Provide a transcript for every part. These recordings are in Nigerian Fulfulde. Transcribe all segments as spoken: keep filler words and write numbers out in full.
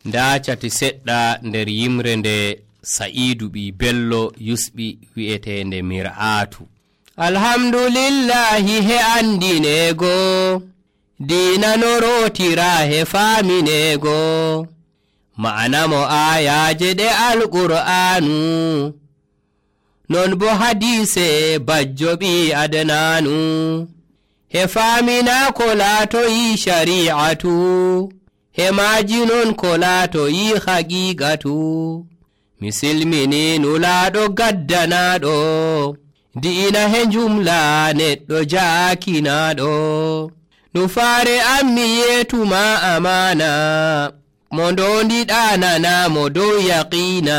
nda cati seɗɗa nder yimre nde Sa'idu ɓi Bello yusɓi wi'etende Mir'atu. Alhamdulillahi he andinego dina no rotira he faminego ma'ana mo ayaje ɗe alqur'anu non bo hadise bajjo ɓi Adnanu he famina ko latoyi shari'atu he maji non ko latoyi haqiqatu misilmini nulaɗo gaddanaɗo diina he jumla neɗɗo jaakinaɗo nufare ammi yetuma amana mo ndondiɗa nanamo dow yaqina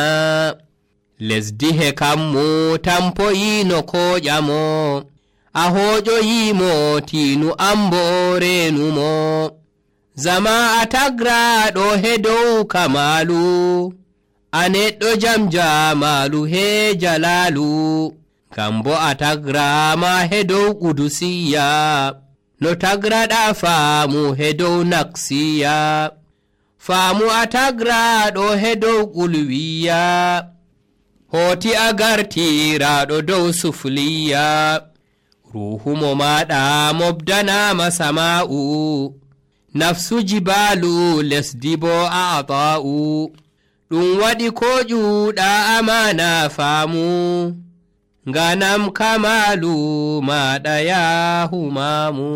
lesdi he kammu tampoyino koƴamo a hoƴoyimo tinu ambo renumo zama a tagraɗo he dow kamalu a neɗɗo jam jamalu he jalalu kambo a tagrama he dow qudusiya no tagraɗa faamu he dow naksiya faamu a tagraɗo he dow qulwiya hoti a gartiraɗo dow sufliya ruhumo maɗa mobdanama sama'u nafsu jibalu lesdi bo a'ta'u ɗum waɗi ko ƴuuɗa amana faamu ganam kamalu maɗa yahu mamu.